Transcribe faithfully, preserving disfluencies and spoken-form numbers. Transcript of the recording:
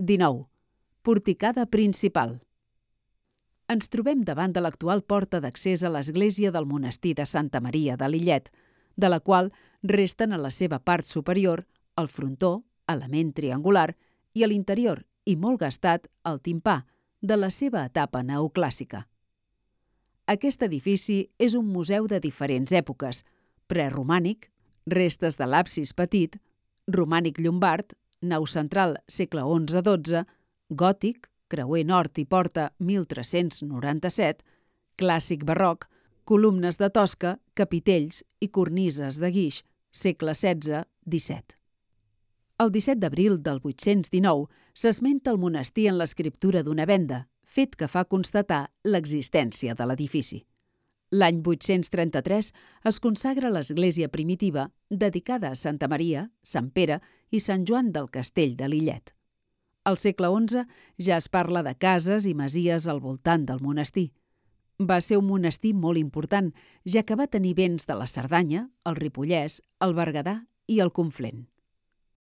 dinou. Porticada principal. Ens trobem davant de l'actual porta d'accés a l'església del monestir de Santa Maria de Lillet, de la qual resten a la seva part superior el frontó, element triangular, i a l'interior, i molt gastat, el timpà, de la seva etapa neoclàssica. Aquest edifici és un museu de diferents èpoques: preromànic, restes de l'absis petit, romànic llombard, nau central segle onze dotze, gòtic, creuer nord i porta mil tres-cents noranta-set, clàssic barroc, columnes de tosca, capitells i cornises de guix, segle setze disset. El disset d'abril del vuit-cents dinou s'esmenta el monestir en l'escriptura d'una venda, fet que fa constatar l'existència de l'edifici. L'any vuit-cents trenta-tres es consagra l'església primitiva dedicada a Santa Maria, Sant Pere i Sant Joan del Castell de Lillet. Al segle onze ja es parla de cases i masies al voltant del monestir. Va ser un monestir molt important, ja que va tenir béns de la Cerdanya, el Ripollès, el Berguedà i el Conflent.